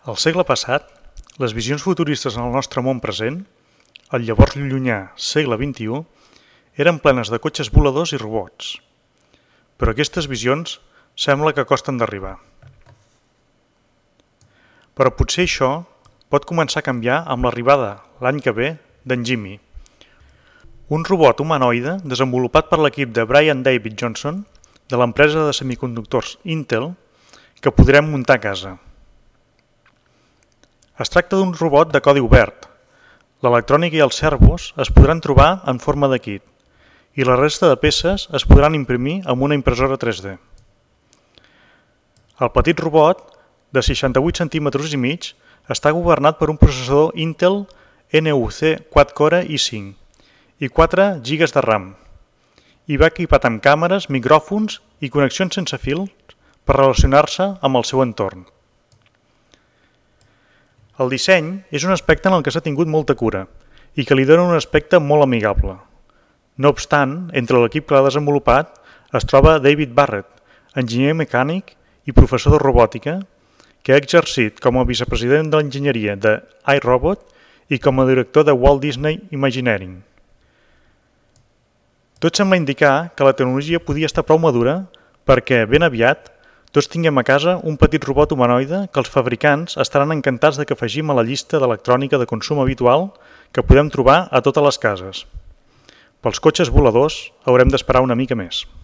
Al segle passat, les visions futuristes en el nostre món present, el llavors llunyà segle XXI, eren plenes de cotxes voladors i robots. Però aquestes visions sembla que costen d'arribar. Però potser això pot començar a canviar amb l'arribada, l'any que ve, d'en Jimmy, un robot humanoide desenvolupat per l'equip de Brian David Johnson de l'empresa de semiconductors Intel que podrem muntar a casa. Es tracta d'un robot de codi obert. L'electrònica i els servos es podran trobar en forma de kit i la resta de peces es podran imprimir amb una impressora 3D. El petit robot, de 68 cm i mig, està governat per un processador Intel NUC 4-core i5 i 4 GB de RAM i va equipat amb càmeres, micròfons i connexions sense fil per relacionar-se amb el seu entorn. El disseny és un aspecte en el que s'ha tingut molta cura i que li dona un aspecte molt amigable. No obstant, entre l'equip que l'ha desenvolupat es troba David Barrett, enginyer mecànic i professor de robòtica, que ha exercit com a vicepresident de l'enginyeria de iRobot i com a director de Walt Disney Imagineering. Tot sembla indicar que la tecnologia podia estar prou madura perquè, ben aviat, tots tinguem a casa un petit robot humanoide que els fabricants estaran encantats de que afegim a la llista d'electrònica de consum habitual que podem trobar a totes les cases. Pels cotxes voladors haurem d'esperar una mica més.